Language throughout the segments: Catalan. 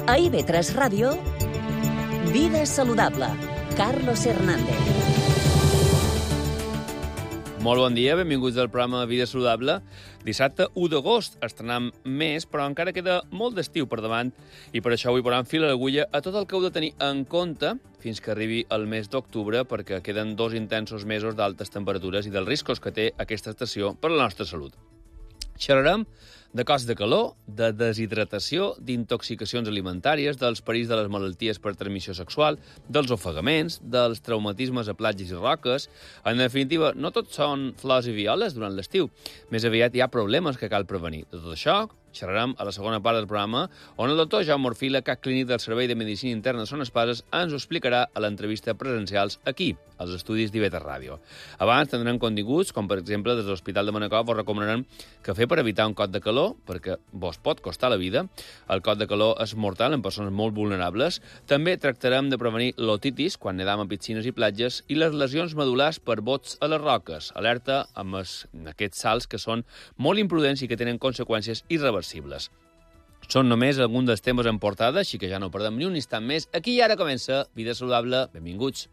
A IB3 Ràdio, Vida Saludable, Carlos Hernández. Molt bon dia, benvinguts al programa Vida Saludable. Dissabte 1 d'agost estrenem més, però encara queda molt d'estiu per davant i per això avui posem fil a l'agulla a tot el que heu de tenir en compte fins que arribi el mes d'octubre, perquè queden 2 intensos mesos d'altes temperatures i dels riscos que té aquesta estació per a la nostra salut. Xerrarem de cost de calor, de deshidratació, d'intoxicacions alimentàries, dels perills de les malalties per transmissió sexual, dels ofegaments, dels traumatismes a platges i roques. En definitiva, no tot són flors i violes durant l'estiu. Més aviat hi ha problemes que cal prevenir. De tot això xerrarem a la segona part del programa, on el doctor Jaume Orfila, cap clínic del Servei de Medicina Interna de Son Espases, ens ho explicarà a l'entrevista presencials aquí, als estudis d'IB3 Ràdio. Abans tindrem continguts, com per exemple des de l'Hospital de Manacor vos recomanarem cafè per evitar un cot de calor, perquè vos pot costar la vida. El cot de calor és mortal en persones molt vulnerables. També tractarem de prevenir l'otitis quan nedam a piscines i platges i les lesions medul·lars per bots a les roques. Alerta amb aquests salts que són molt imprudents i que tenen conseqüències irreversibles. Són només alguns dels temes en portada, així que ja no perdem ni un instant més. Aquí i ara comença Vida Saludable. Benvinguts.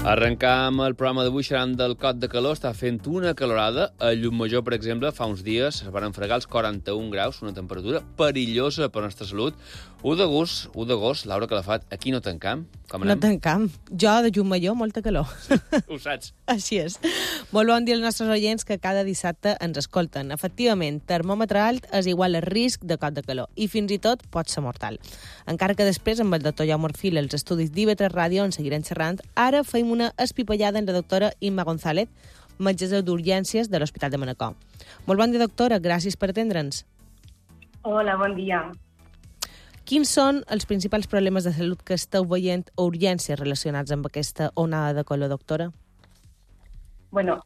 Arrencam el programa d'avui xerrant del cot de calor. Està fent una calorada. A Llucmajor, per exemple, fa uns dies es van fregar els 41 graus, una temperatura perillosa per a la nostra salut. 1 d'agost, Laura Calafat, aquí no tancam. Com anem? No tancam. Jo, de Llucmajor, molta calor. Sí, ho saps. Així és. Molt bon dia als nostres oients que cada dissabte ens escolten. Efectivament, termòmetre alt és igual a risc de cot de calor i fins i tot pot ser mortal. Encara que després, amb el doctor Jaume Orfila, els estudis d'IB3 Ràdio en seguirem xerrant, ara feim una espipallada amb la doctora Imma González, metgessa d'urgències de l'Hospital de Manacor. Molt bon dia, doctora. Gràcies per atendre'ns. Hola, bon dia. Quins són els principals problemes de salut que esteu veient a urgències relacionats amb aquesta onada de calor, doctora? Bueno,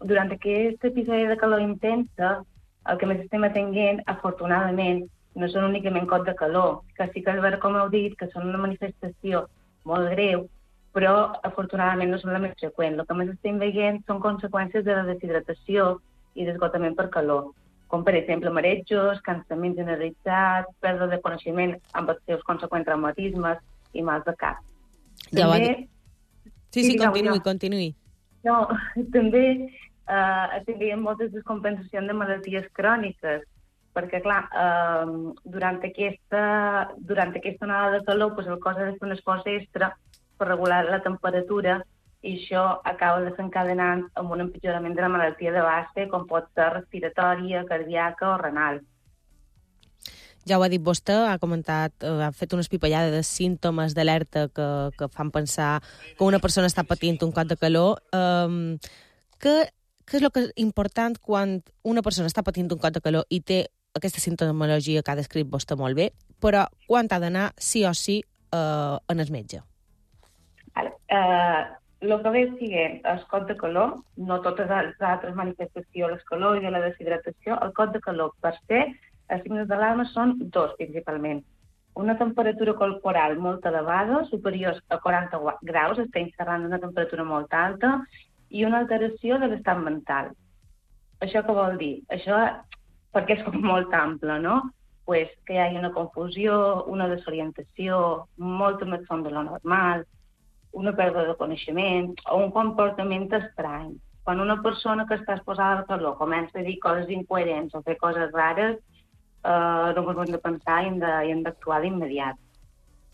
durant aquest episodi de calor intensa, el que més estem atenent, afortunadament, no són únicament cot de calor, que sí que és vera, com heu dit, que són una manifestació molt greu, però afortunadament no són la més freqüent. El que més estem veient són conseqüències de la deshidratació i d'esgotament per calor, com per exemple marejos, cansament generalitzat, pèrdua de coneixement amb els seus conseqüents traumatismes i mals de cap. Ja també... Sí, continuï. No, també estem veient moltes descompensacions de malalties cròniques, perquè, clar, durant aquesta onada de calor, el cos ha de fer un esforç extra per regular la temperatura i això acaba desencadenant amb un empitjorament de la malaltia de base, com pot ser respiratòria, cardíaca o renal. Ja ho ha dit vostè, ha fet una espipallada de símptomes d'alerta que fan pensar que una persona està patint un cot de calor. Què és el que és important quan una persona està patint un cot de calor i té aquesta simptomologia que ha descrit vostè molt bé, però quan ha d'anar sí o sí en el metge? El que ve sigui el cot de calor, no totes les altres manifestacions, el calor i de la deshidratació, el cot de calor per se, els signes d'alarma són 2 principalment. Una temperatura corporal molt elevada, superior a 40 graus, estem xerrant d'una temperatura molt alta, i una alteració de l'estat mental. Això què vol dir? Això, perquè és molt ample, no? Pues que hi hagi una confusió, una desorientació, molta més son de lo normal, una pèrdua de coneixement o un comportament estrany. Quan una persona que està exposada al calor comença a dir coses incoherents o fer coses rares, no ens hem de pensar i hem d'actuar d'immediat.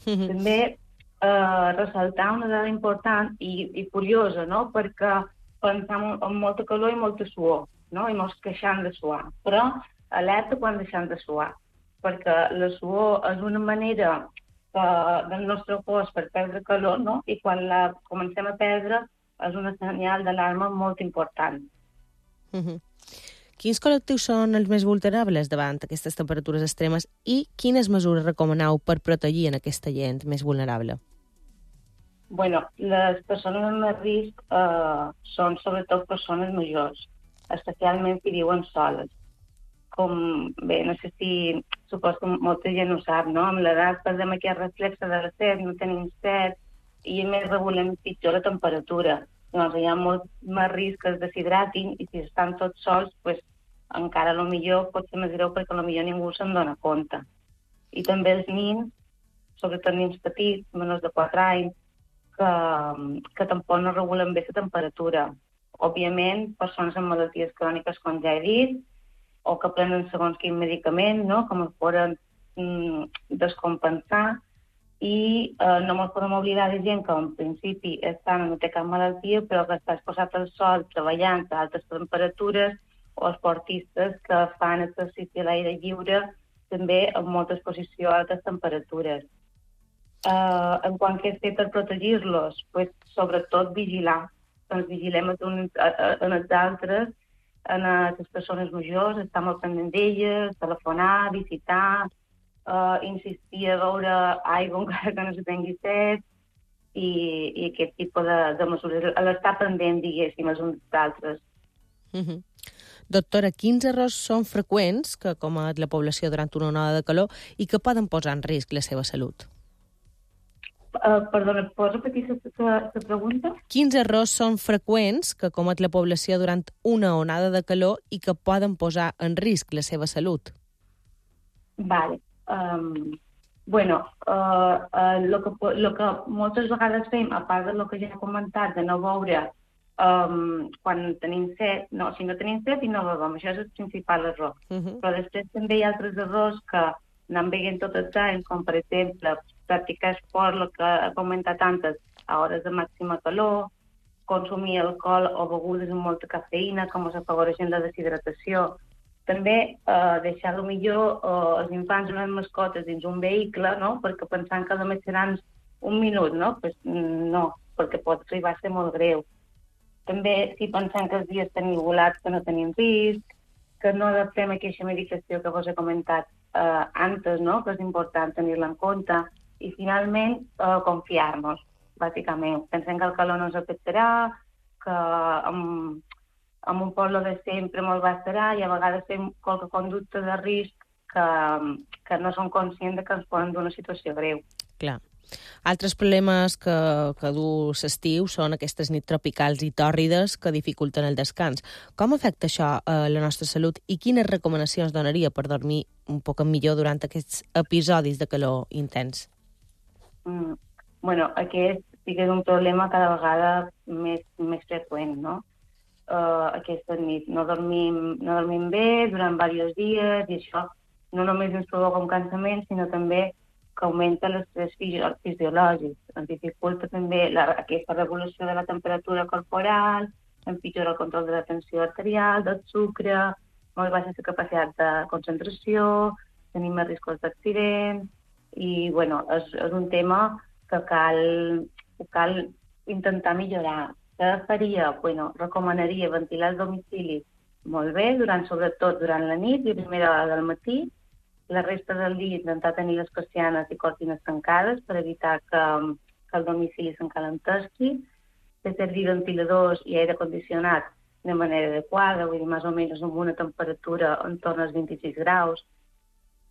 També ressaltar una dada important i curiosa, no? Perquè pensam en molta calor i molta suor, no? I mos queixam de suar. Però alerta quan deixem de suar, perquè la suor és una manera del nostre cos per perdre calor, no? I quan la comencem a perdre és una senyal d'alarma molt important. Quins col·lectius són els més vulnerables davant aquestes temperatures extremes i quines mesures recomaneu per protegir en aquesta gent més vulnerable? Bueno, les persones amb més risc són sobretot persones majors, especialment si viuen soles. Com, bé, no sé si suposo que molta gent ho sap, no? Amb l'edat perdem aquest reflexe de la set, no tenim set, i a més regulem pitjor la temperatura. doncs hi ha molt més risc que es deshidratin, i si estan tots sols, pues, encara millor pot ser més greu perquè millor ningú se'n dona compte. I també els nins, sobretot nins petits, menors de 4 anys, que tampoc no regulen bé la temperatura. Òbviament, persones amb malalties cròniques, com ja he dit, o que prenen segons quin medicament, no?, com es poden descompensar, i no ens podem oblidar de gent que en principi estan, no té cap malaltia, però que està exposat al sol, treballant a altes temperatures, o esportistes que fan exercici a l'aire lliure, també amb molta exposició a altes temperatures. En quant que és fer per protegir-los, pues, sobretot vigilar. Ens vigilem en els altres, en les persones majors, estar molt pendent d'elles, telefonar, visitar, insistir a beure aigua encara que no se tingui set, i aquest tipus de mesures, l'estar pendent, diguéssim, els uns d'altres. Doctora, quins errors són freqüents que comet la població durant una onada de calor i que poden posar en risc la seva salut? Perdona, pots repetir la pregunta? Quins errors són freqüents que comet la població durant una onada de calor i que poden posar en risc la seva salut? Vale. Lo que moltes vegades fem, a part del que ja he comentat, de no beure quan tenim set, si no tenim set i no bevem, això és el principal error. Però després també hi ha altres errors que anem veient tot els anys, com per exemple practicar esport, el que he comentat antes, a hores de màxima calor, consumir alcohol o begudes amb molta cafeïna, com es afavoreixen la deshidratació. També deixar millor els infants o les mascotes dins un vehicle, no?, perquè pensant que només seran un minut, no? Pues no, perquè pot arribar a ser molt greu. També, si pensem que els dies estan igualats, que no tenim risc, que no adaptem aquesta medicació que vos he comentat antes, no?, que és important tenir-la en compte. I, finalment, confiar-nos, bàsicament. Pensem que el calor no ens afectarà, que amb un poble de sempre molt bastarà, i a vegades fem qualque conducta de risc que no som conscients que ens poden donar una situació greu. Clar. Altres problemes que du l'estiu són aquestes nits tropicals i tòrrides que dificulten el descans. Com afecta això a la nostra salut i quines recomanacions donaria per dormir un poc millor durant aquests episodis de calor intens? Aquest sí que és un problema cada vegada més freqüent, no? Aquesta nit no dormim bé durant diversos dies, i això no només ens provoca un cansament, sinó també que augmenta l'estrès fisiològic, ens dificulta també aquesta regulació de la temperatura corporal, empitjora el control de la tensió arterial, del sucre, molt baixa la capacitat de concentració, tenim més riscos d'accident, i és un tema que cal intentar millorar. Què faria? Recomanaria ventilar el domicili molt bé, sobretot durant la nit i a primera hora del matí. La resta del dia intentar tenir les persianes i cortines tancades per evitar que el domicili s'encalentesqui, fer servir ventiladors i aire condicionat de manera adequada, vull dir, més o menys amb una temperatura en torn als 26 graus,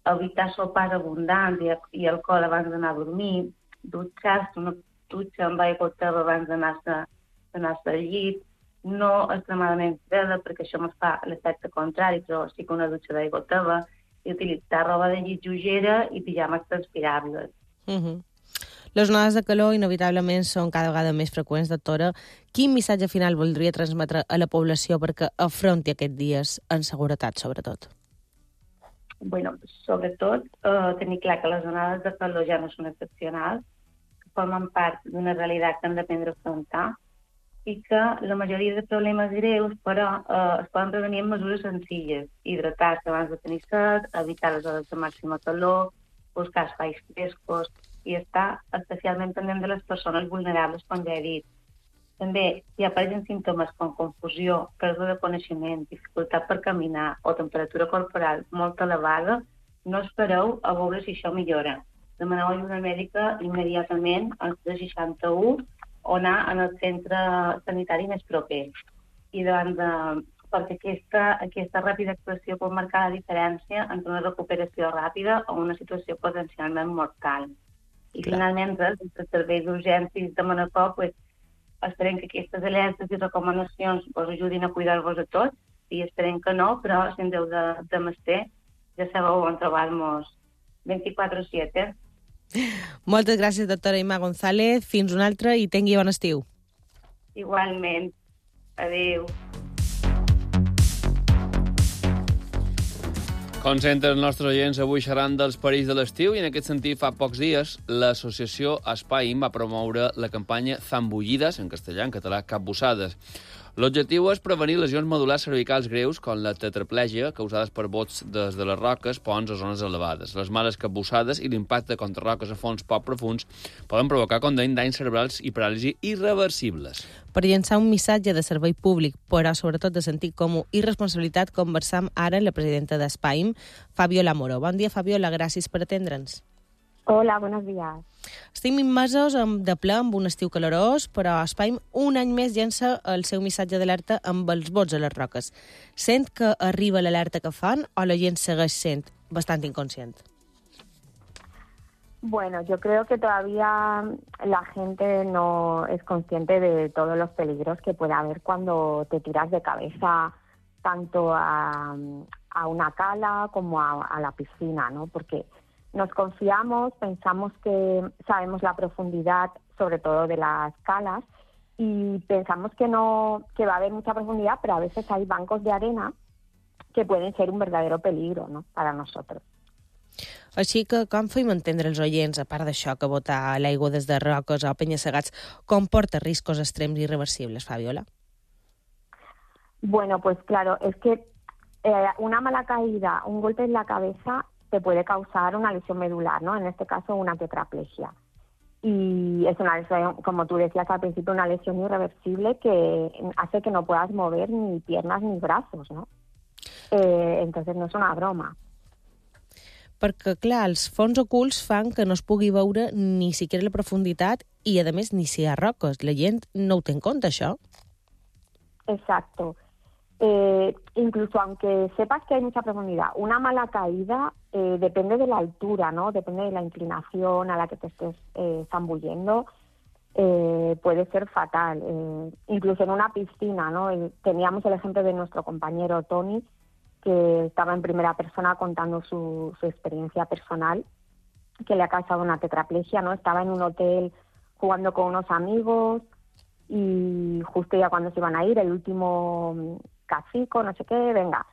evitar sopars abundants i alcohol abans d'anar a dormir, dutxar-se, una dutxa amb aigua teva abans d'anar-se al llit, no extremadament freda, perquè això ens fa l'efecte contrari, però sí que una dutxa d'aigua teva, i utilitzar roba de llit lleugera i pijames transpirables. Les onades de calor inevitablement són cada vegada més freqüents, doctora. Quin missatge final voldria transmetre a la població perquè afronti aquests dies en seguretat, sobretot? Sobretot tenir clar que les onades de calor ja no són excepcionals, que formen part d'una realitat que hem d'aprendre a afrontar, i que la majoria de problemes greus, però, es poden prevenir amb mesures senzilles. Hidratar-se abans de tenir set, evitar les hores de màxima calor, buscar espais frescos i estar especialment pendent de les persones vulnerables, com ja he dit. També, si apareixen símptomes com confusió, pèrdua de coneixement, dificultat per caminar o temperatura corporal molt elevada, no espereu a veure si això millora. Demaneu ajuda mèdica immediatament al 361 o anar al centre sanitari més proper. I perquè aquesta ràpida actuació pot marcar la diferència entre una recuperació ràpida o una situació potencialment mortal. I finalment, els serveis d'urgències de Manacor Esperem que aquestes alertes i recomanacions us ajudin a cuidar-vos de tots, i esperem que no, però si en deu de mestre, ja sabeu on trobar-nos 24/7. Moltes gràcies, doctora Imma González. Fins un altre i tingui bon estiu. Igualment. Adéu. Com sempre, els nostres oients avui xerran dels perills de l'estiu i en aquest sentit fa pocs dies l'associació Espaim va promoure la campanya Zambullidas, en castellà, en català, capbussades. L'objectiu és prevenir lesions medul·lars cervicals greus com la tetraplègia causades per bots des de les roques, ponts o zones elevades. Les males capbussades i l'impacte contra roques a fons poc profuns poden provocar com deim danys cerebrals i paràlisi irreversibles. Per llançar un missatge de servei públic, però sobretot de sentit comú i responsabilitat, conversam ara amb la presidenta d'Espaim, Fabiola Moro. Bon dia, Fabiola, gràcies per atendre'ns. Hola, buenos días. Estem immersos de ple amb un estiu calorós, però Espaim un any més llença el seu missatge d'alerta amb els bots a les roques. Sent que arriba l'alerta que fan o la gent segueix sent bastant inconscient? Bueno, yo creo que todavía la gente no es consciente de todos los peligros que puede haber cuando te tiras de cabeza tanto a una cala como a la piscina, ¿no? Porque nos confiamos, pensamos que sabemos la profundidad, sobre todo de las calas, y pensamos que va a haber mucha profundidad, pero a veces hay bancos de arena que pueden ser un verdadero peligro, ¿no?, para nosotros. Així que com fem entendre els oients, a part d'això, que botar a l'aigua des de roques o penya-segats comporta riscos extrems i irreversibles, Fabiola? Bueno, pues claro, es que una mala caída, un golpe en la cabeza te puede causar una lesión medular, ¿no? En este caso, una tetraplegia. Y es una lesión, como tú decías al principio, una lesión irreversible que hace que no puedas mover ni piernas ni brazos, ¿no? Entonces no és una broma. Perquè, clar, els fons ocults fan que no es pugui veure ni siquiera la profunditat i, a més, ni si hi ha roques. La gent no ho té en compte, això. Exacto. Incluso aunque sepas que hay mucha profundidad, una mala caída depende de la altura, ¿no? Depende de la inclinación a la que te estés zambullendo, puede ser fatal. Incluso en una piscina, ¿no? Teníamos el ejemplo de nuestro compañero Tony, que estaba en primera persona contando su experiencia personal, que le ha causado una tetraplegia, ¿no? Estaba en un hotel jugando con unos amigos y justo ya cuando se iban a ir, el último cacico, no sé qué, venga.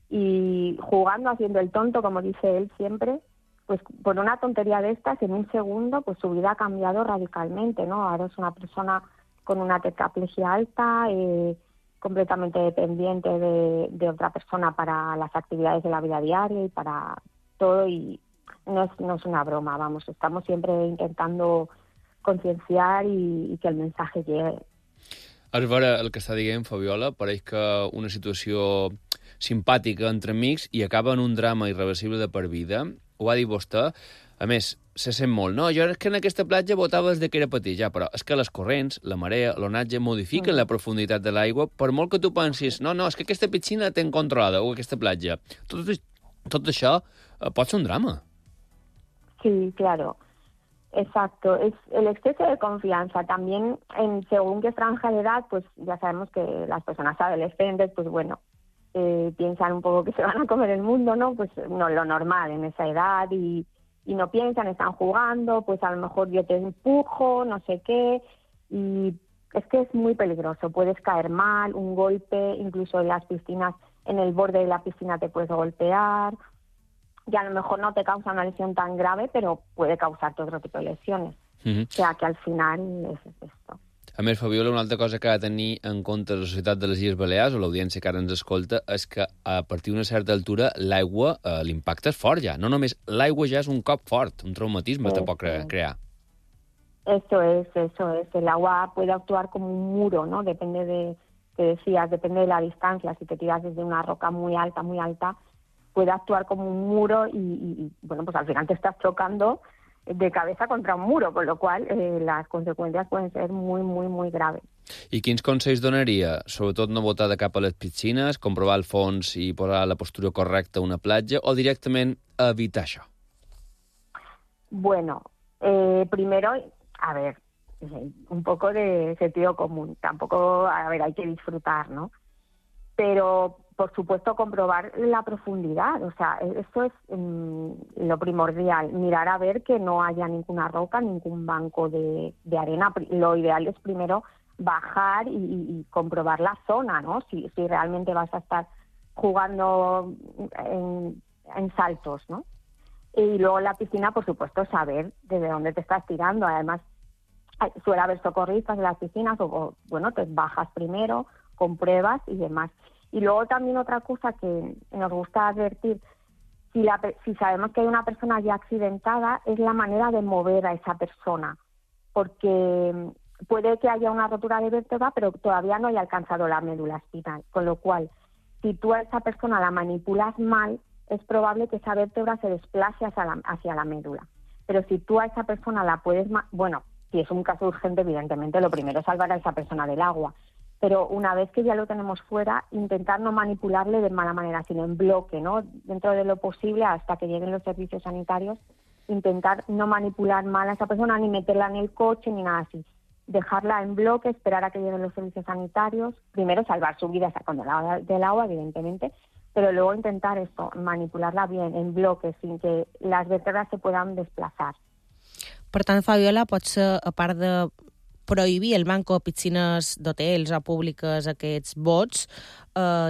Y jugando, haciendo el tonto, como dice él siempre, pues por una tontería de estas, en un segundo, pues su vida ha cambiado radicalmente, ¿no? Ahora es una persona con una tetraplegia alta, completamente dependiente de otra persona para las actividades de la vida diaria y para todo, y no es una broma, vamos, estamos siempre intentando concienciar y que el mensaje llegue. És vera el que està dient, Fabiola, pareix que una situació simpàtica entre amics i acaba en un drama irreversible de per vida. Ho va dir vostè. A més, se sent molt. No, jo és que en aquesta platja botava des que era petit, ja, però és que les corrents, la marea, l'onatge modifiquen la profunditat de l'aigua, per molt que tu pensis, no, és que aquesta piscina ten controlada, o aquesta platja. Tot això pot ser un drama. Sí, claro. Exacto, es el exceso de confianza. También, según qué franja de edad, pues ya sabemos que las personas adolescentes, pues bueno, piensan un poco que se van a comer el mundo, ¿no? Pues no lo normal en esa edad y no piensan, están jugando, pues a lo mejor yo te empujo, no sé qué, y es que es muy peligroso. Puedes caer mal, un golpe, incluso en las piscinas, en el borde de la piscina te puedes golpear. Y a lo mejor no te causa una lesión tan grave, pero puede causarte otro tipo de lesiones. O sea, que al final es esto. A més, Fabiola, una altra cosa que ha de tenir en compte la Societat de les Illes Balears, o l'audiència que ara ens escolta, és que a partir d'una certa altura l'aigua, l'impacte és fort ja. No només l'aigua ja és un cop fort, un traumatisme te pot crear. Eso es. El agua puede actuar como un muro, ¿no? Depende de, que decías, depende de la distancia. Si te tiras desde una roca muy alta, puede actuar como un muro y bueno, pues al final te estás chocando de cabeza contra un muro, con lo cual las consecuencias pueden ser muy, muy, muy graves. I quins consells donaria? Sobretot no botar de cap a les piscines, comprovar el fons i posar la postura correcta a una platja, o directament evitar això? Bueno, primero, a ver, un poco de sentido común. Tampoco, a ver, hay que disfrutar, ¿no? Pero, por supuesto, comprobar la profundidad. O sea, eso es lo primordial. Mirar a ver que no haya ninguna roca, ningún banco de arena. Lo ideal es primero bajar y comprobar la zona, ¿no? Si realmente vas a estar jugando en saltos, ¿no? Y luego en la piscina, por supuesto, saber desde dónde te estás tirando. Además, suele haber socorristas en las piscinas o bueno, te bajas primero, compruebas y demás. Y luego también otra cosa que nos gusta advertir, si sabemos que hay una persona ya accidentada, es la manera de mover a esa persona, porque puede que haya una rotura de vértebra, pero todavía no haya alcanzado la médula espinal, con lo cual, si tú a esa persona la manipulas mal, es probable que esa vértebra se desplace hacia la médula. Pero si tú a esa persona la puedes... Bueno, si es un caso urgente, evidentemente, lo primero es salvar a esa persona del agua. Pero una vez que ya lo tenemos fuera, intentar no manipularle de mala manera, sino en bloque, ¿no? Dentro de lo posible, hasta que lleguen los servicios sanitarios, intentar no manipular mal a esa persona, ni meterla en el coche, ni nada así. Dejarla en bloque, esperar a que lleguen los servicios sanitarios. Primero, salvar su vida sacando del agua, evidentemente, pero luego intentar esto, manipularla bien, en bloque, sin que las vértebras se puedan desplazar. Per tant, Fabiola, potser, a part de prohibir el manco a piscines d'hotels o públiques aquests bots,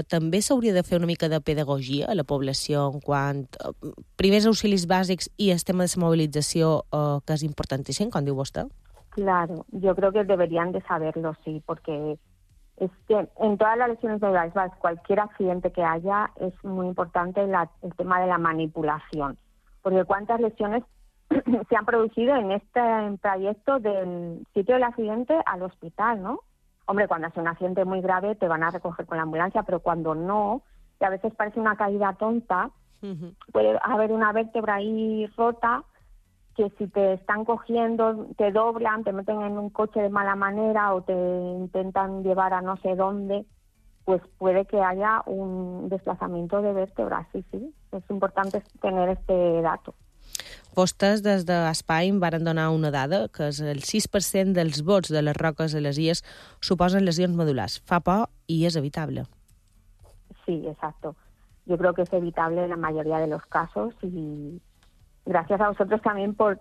també s'hauria de fer una mica de pedagogia a la població en quant a primers auxilis bàsics i el tema de la mobilització, que és importantíssim, com diu vostè. Claro, yo creo que deberían de saberlo, sí, porque es que en todas las lesiones de iceberg, cualquier accidente que haya, es muy importante el tema de la manipulación, porque cuántas lesiones se han producido en este trayecto del sitio del accidente al hospital, ¿no? Hombre, cuando hace un accidente muy grave te van a recoger con la ambulancia, pero cuando no, que a veces parece una caída tonta, puede haber una vértebra ahí rota, que si te están cogiendo, te doblan, te meten en un coche de mala manera o te intentan llevar a no sé dónde, pues puede que haya un desplazamiento de vértebras, sí. Es importante tener este dato. Vostès, des d'Espaim, varen donar una dada, que és el 6% dels bots de les roques a les illes suposen lesions medulars. Fa por i és evitable. Sí, exacto. Yo creo que es evitable en la mayoría de los casos y gracias a vosotros también por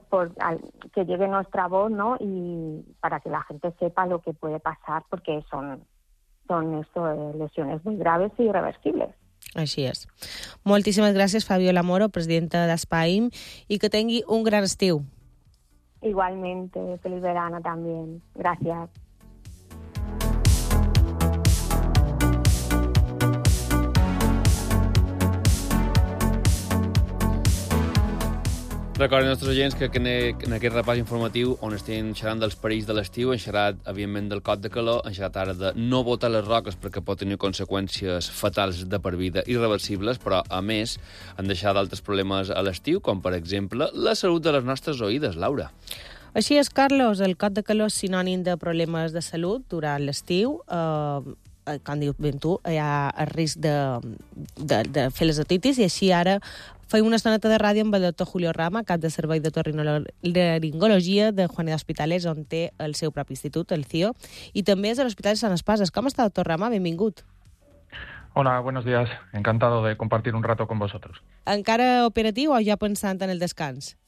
que llegue nuestra voz, ¿no? Y para que la gente sepa lo que puede pasar, porque son lesiones muy graves y irreversibles. Així és. Moltíssimes gràcies, Fabiola Moro, presidenta d'Espaim, i que tingui un gran estiu. Igualmente, feliz verano también. Gracias. Recordin als nostres oients que en aquest repàs informatiu on estem xerrant dels perills de l'estiu, hem xerrat, evidentment, del cot de calor, hem xerrat ara de no botar les roques perquè pot tenir conseqüències fatals de per vida irreversibles, però, a més, han deixat d'altres problemes a l'estiu, com, per exemple, la salut de les nostres oïdes, Laura. Així és, Carlos, el cot de calor és sinònim de problemes de salut durant l'estiu. Com dius ben tu, hi ha el risc de fer les otitis, i així ara feim una estoneta de ràdio amb el doctor Julio Rama, cap de servei d'otorrinolaringologia de Juaneda Hospitales, on té el seu propi institut, el CIO, i també és de l'Hospital de Sant Espases. Com està, doctor Rama? Benvingut. Hola, buenos días. Encantado de compartir un rato con vosotros. Encara operatiu o ja pensant en el descans?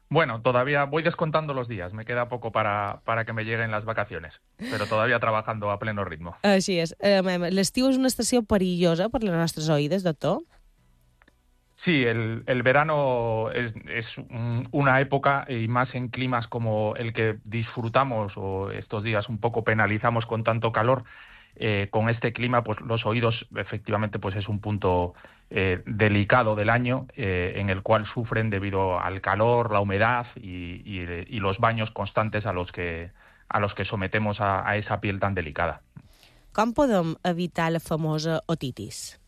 Bueno, todavía voy descontando los días. Me queda poco para que me lleguen las vacaciones, pero todavía trabajando a pleno ritmo. Així és. L'estiu és una estació perillosa per les nostres oïdes, doctor? Sí, el verano es una época, y más en climas como el que disfrutamos o estos días un poco penalizamos con tanto calor, con este clima, pues los oídos efectivamente pues es un punto delicado del año en el cual sufren debido al calor, la humedad y los baños constantes a los que sometemos a esa piel tan delicada. Com podem evitar la famosa otitis?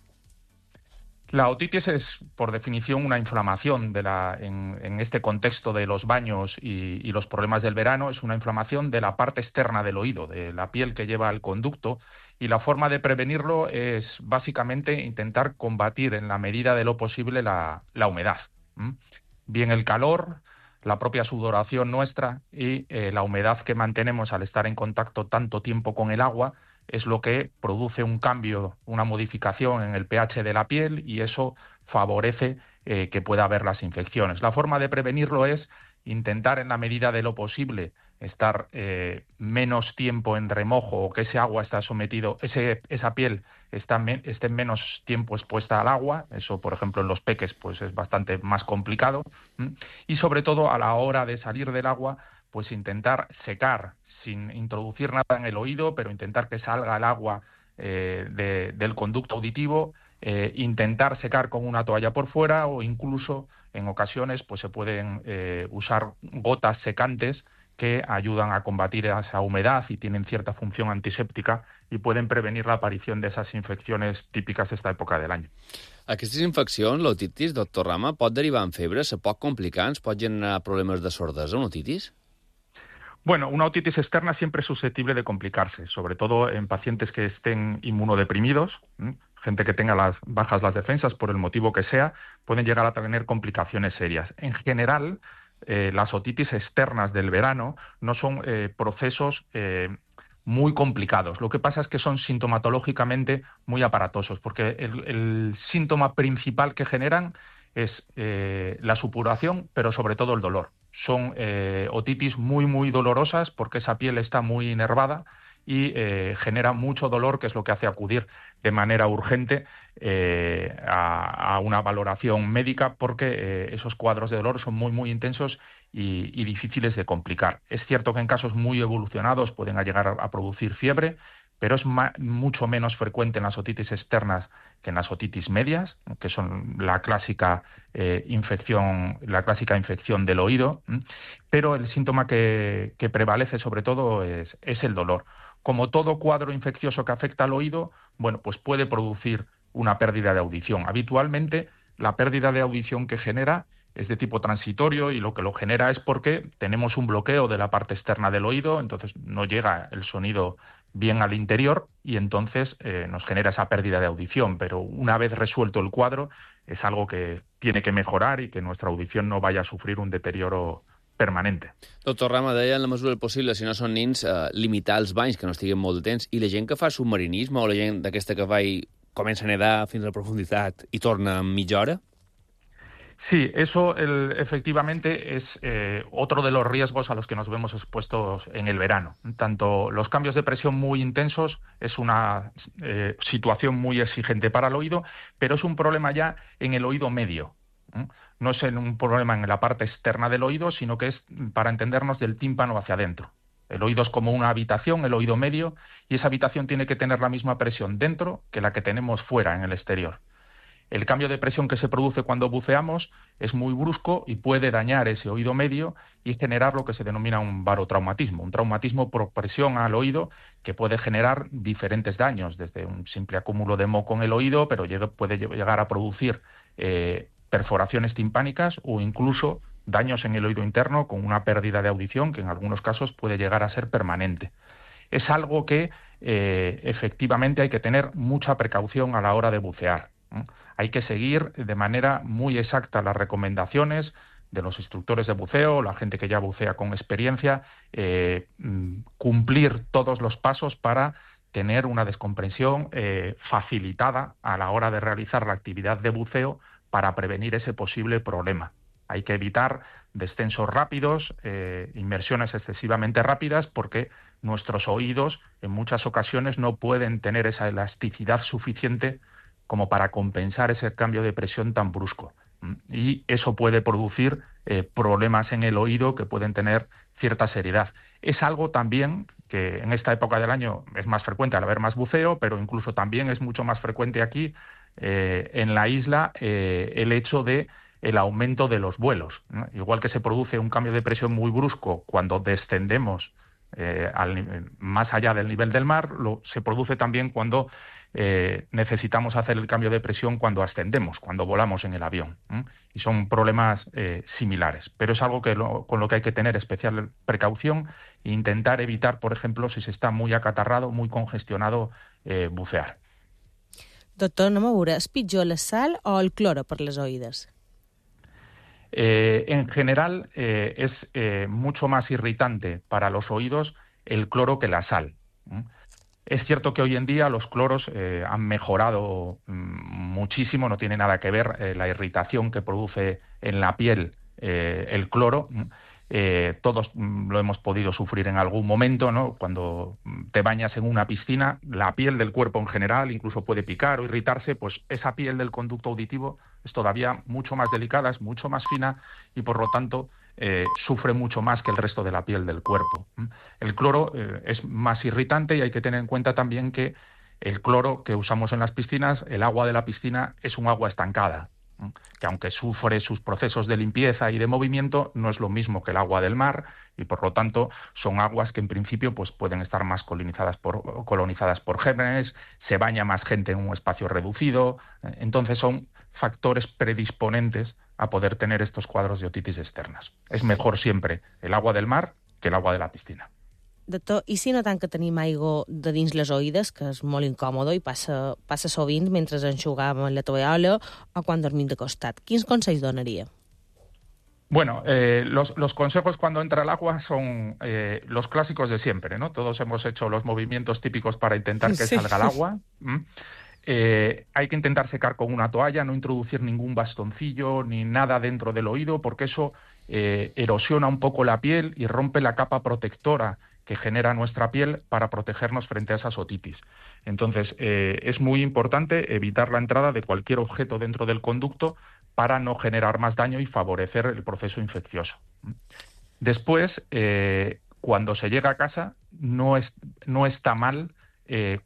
La otitis es, por definición, una inflamación en este contexto de los baños y los problemas del verano. Es una inflamación de la parte externa del oído, de la piel que lleva al conducto, y la forma de prevenirlo es básicamente intentar combatir en la medida de lo posible la humedad. Bien el calor, la propia sudoración nuestra y la humedad que mantenemos al estar en contacto tanto tiempo con el agua es lo que produce un cambio, una modificación en el pH de la piel, y eso favorece que pueda haber las infecciones. La forma de prevenirlo es intentar, en la medida de lo posible, estar menos tiempo en remojo, o que ese agua está sometido, esa piel esté menos tiempo expuesta al agua. Eso, por ejemplo, en los peques pues es bastante más complicado. Y sobre todo, a la hora de salir del agua, pues intentar secar sin introducir nada en el oído, pero intentar que salga el agua del conducto auditivo, intentar secar con una toalla por fuera, o incluso en ocasiones pues se pueden usar gotas secantes que ayudan a combatir esa humedad y tienen cierta función antiséptica y pueden prevenir la aparición de esas infecciones típicas de esta época del año. Aquestes infeccions, l'otitis, doctor Rama, pot derivar en febre, se pot complicar, ens pot generar problemes de sordesa, una otitis? Bueno, una otitis externa siempre es susceptible de complicarse, sobre todo en pacientes que estén inmunodeprimidos, gente que tenga bajas las defensas por el motivo que sea, pueden llegar a tener complicaciones serias. En general, las otitis externas del verano no son procesos muy complicados. Lo que pasa es que son sintomatológicamente muy aparatosos, porque el síntoma principal que generan es la supuración, pero sobre todo el dolor. Son otitis muy dolorosas porque esa piel está muy inervada y genera mucho dolor, que es lo que hace acudir de manera urgente a una valoración médica, porque esos cuadros de dolor son muy intensos y difíciles de complicar. Es cierto que en casos muy evolucionados pueden llegar a producir fiebre, pero es mucho menos frecuente en las otitis externas que en las otitis medias, que son la clásica infección del oído, pero el síntoma que prevalece sobre todo es el dolor. Como todo cuadro infeccioso que afecta al oído, bueno, pues puede producir una pérdida de audición. Habitualmente la pérdida de audición que genera es de tipo transitorio, y lo que lo genera es porque tenemos un bloqueo de la parte externa del oído, entonces no llega el sonido bien al interior y entonces nos genera esa pérdida de audición. Pero una vez resuelto el cuadro, es algo que tiene que mejorar y que nuestra audición no vaya a sufrir un deterioro permanente. Doctor Rama, deia, en la mesura del possible, si no són nins, limitar els banys, que no estiguin molt de temps, i la gent que fa submarinisme, o la gent d'aquesta que va i comença a nedar fins a la profunditat i torna en mitja hora? Sí, eso efectivamente es otro de los riesgos a los que nos vemos expuestos en el verano. Tanto los cambios de presión muy intensos es una situación muy exigente para el oído, pero es un problema ya en el oído medio. No es un problema en la parte externa del oído, sino que es, para entendernos, del tímpano hacia adentro. El oído es como una habitación, el oído medio, y esa habitación tiene que tener la misma presión dentro que la que tenemos fuera, en el exterior. El cambio de presión que se produce cuando buceamos es muy brusco y puede dañar ese oído medio y generar lo que se denomina un barotraumatismo, un traumatismo por presión al oído, que puede generar diferentes daños, desde un simple acúmulo de moco en el oído, pero puede llegar a producir perforaciones timpánicas o incluso daños en el oído interno, con una pérdida de audición que en algunos casos puede llegar a ser permanente. Es algo que efectivamente hay que tener mucha precaución a la hora de bucear. Hay que seguir de manera muy exacta las recomendaciones de los instructores de buceo, la gente que ya bucea con experiencia, cumplir todos los pasos para tener una descompresión facilitada a la hora de realizar la actividad de buceo, para prevenir ese posible problema. Hay que evitar descensos rápidos, inmersiones excesivamente rápidas, porque nuestros oídos en muchas ocasiones no pueden tener esa elasticidad suficiente como para compensar ese cambio de presión tan brusco. Y eso puede producir problemas en el oído que pueden tener cierta seriedad. Es algo también que en esta época del año es más frecuente al haber más buceo, pero incluso también es mucho más frecuente aquí en la isla el hecho de el aumento de los vuelos, ¿no? Igual que se produce un cambio de presión muy brusco cuando descendemos más allá del nivel del mar, se produce también cuando necesitamos hacer el cambio de presión cuando ascendemos, cuando volamos en el avión, y son problemas similares, pero es algo con lo que hay que tener especial precaución e intentar evitar, por ejemplo, si se está muy acatarrado, muy congestionado, bucear. Doctor, anem a veure, és pitjor la sal o el cloro per les oïdes? En general, es mucho más irritante para los oídos el cloro que la sal. Es cierto que hoy en día los cloros han mejorado muchísimo, no tiene nada que ver la irritación que produce en la piel el cloro. Todos lo hemos podido sufrir en algún momento, ¿no? Cuando te bañas en una piscina, la piel del cuerpo en general incluso puede picar o irritarse, pues esa piel del conducto auditivo es todavía mucho más delicada, es mucho más fina y por lo tanto sufre mucho más que el resto de la piel del cuerpo. El cloro es más irritante y hay que tener en cuenta también que el cloro que usamos en las piscinas, el agua de la piscina es un agua estancada, que aunque sufre sus procesos de limpieza y de movimiento, no es lo mismo que el agua del mar y por lo tanto son aguas que en principio pues pueden estar más colonizadas por gérmenes, se baña más gente en un espacio reducido, entonces son factores predisponentes a poder tener estos cuadros de otitis externas. Es mejor siempre el agua del mar que el agua de la piscina. Doctor, i si notem que tenim aigua de dins les oïdes, que és molt incòmode i passa sovint mentre enxugam la tovallola o quan dormim de costat? Quins consells donaria? Bueno, los consejos cuando entra el agua son los clásicos de siempre, ¿no? Todos hemos hecho los movimientos típicos para intentar que salga el agua. Hay que intentar secar con una toalla, no introducir ningún bastoncillo ni nada dentro del oído, porque eso erosiona un poco la piel y rompe la capa protectora que genera nuestra piel para protegernos frente a esas otitis. Entonces, es muy importante evitar la entrada de cualquier objeto dentro del conducto para no generar más daño y favorecer el proceso infeccioso. Después, cuando se llega a casa, no está mal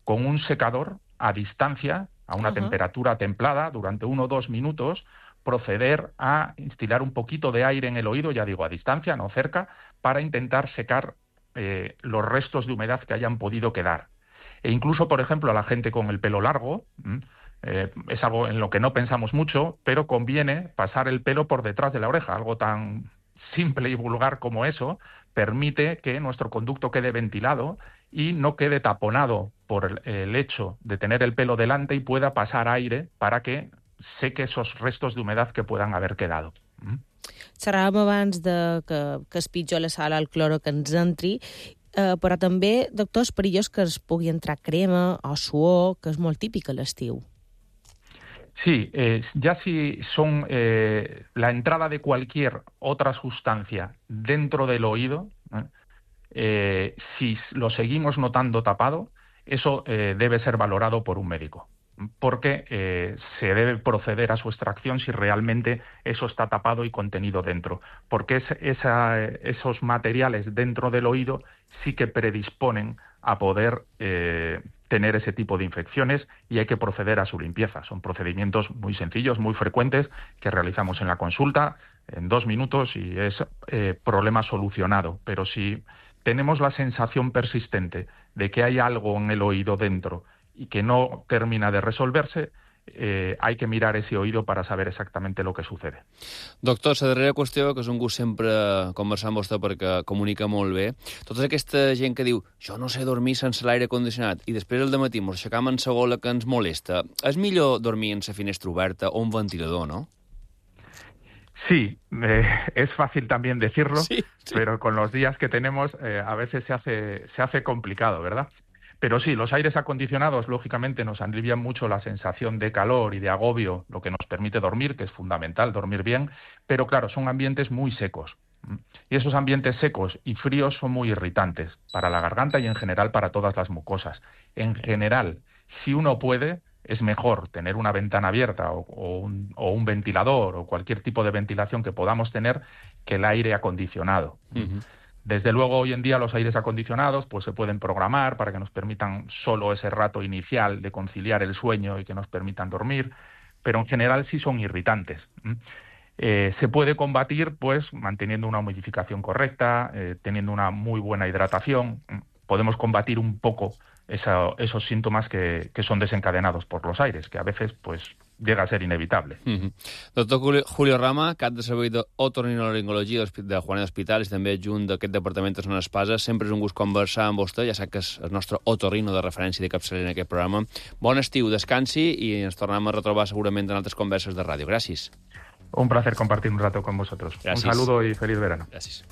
con un secador a distancia, a una temperatura templada, durante 1 o 2 minutos, proceder a instilar un poquito de aire en el oído, ya digo, a distancia, no cerca, para intentar secar los restos de humedad que hayan podido quedar. E incluso, por ejemplo, a la gente con el pelo largo, es algo en lo que no pensamos mucho, pero conviene pasar el pelo por detrás de la oreja. Algo tan simple y vulgar como eso permite que nuestro conducto quede ventilado y no quede taponado por el hecho de tener el pelo delante y pueda pasar aire para que seque esos restos de humedad que puedan haber quedado. Xerràvem abans que és pitjor la sal al cloro que ens entri, però també, doctor, és perillós que es pugui entrar crema o suor, que és molt típic a l'estiu. Sí, ya si son la entrada de cualquier otra sustancia dentro del oído, si lo seguimos notando tapado, eso debe ser valorado por un médico, porque se debe proceder a su extracción si realmente eso está tapado y contenido dentro, porque esos materiales dentro del oído sí que predisponen a poder tener ese tipo de infecciones y hay que proceder a su limpieza. Son procedimientos muy sencillos, muy frecuentes, que realizamos en la consulta en 2 minutos y es problema solucionado. Pero si tenemos la sensación persistente de que hay algo en el oído dentro y que no termina de resolverse, hay que mirar ese oído para saber exactamente lo que sucede. Doctor, la darrera qüestió, que és un gust sempre conversar amb vostè perquè comunica molt bé, tota aquesta gent que diu jo no sé dormir sense l'aire condicionat i després al dematí ens aixecam en la gola que ens molesta, és millor dormir en la finestra oberta o un ventilador, no? Sí, es fácil también decirlo, sí. Pero con los días que tenemos a veces se hace complicado, ¿verdad? Pero sí, los aires acondicionados, lógicamente, nos alivian mucho la sensación de calor y de agobio, lo que nos permite dormir, que es fundamental, dormir bien, pero claro, son ambientes muy secos. Y esos ambientes secos y fríos son muy irritantes para la garganta y en general para todas las mucosas. En general, si uno puede, es mejor tener una ventana abierta o un ventilador o cualquier tipo de ventilación que podamos tener que el aire acondicionado. Desde luego, hoy en día los aires acondicionados pues se pueden programar para que nos permitan solo ese rato inicial de conciliar el sueño y que nos permitan dormir, pero en general sí son irritantes. Se puede combatir pues manteniendo una humidificación correcta, teniendo una muy buena hidratación. Podemos combatir un poco esos síntomas que son desencadenados por los aires, que a veces pues llega a ser inevitable. Doctor Julio Rama, cap de servei d'otorrinolaringologia de Juanet Hospital i també adjunt d'aquest departament de Son Espases. Sempre és un gust conversar amb vostè, ja sap que és el nostre otorrino de referència de capçalera en aquest programa. Bon estiu, descansi i ens tornem a retrobar segurament en altres converses de ràdio. Gràcies. Un placer compartir un rato con vosotros. Gracias. Un saludo y feliz verano. Gràcies.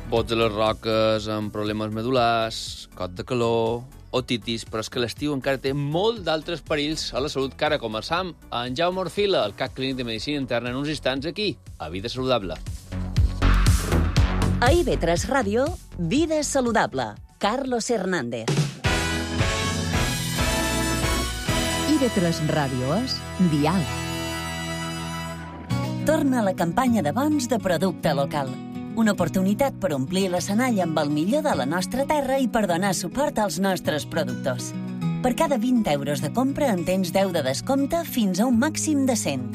Bots a les roques, amb problemes medulars, cot de calor, otitis, però és que l'estiu encara té molt d'altres perills a la salut que ara conversam amb Jaume Orfila, el CAC Clínic de Medicina Interna, en uns instants aquí, a Vida Saludable. A IB3 Ràdio, Vida Saludable. Carlos Hernández. IB3 Ràdio és Dial. Torna la campanya de bons de producte local. Una oportunitat per omplir l'escenari amb el millor de la nostra terra i per donar suport als nostres productors. Per cada 20 euros de compra en tens 10 de descompte fins a un màxim de 100.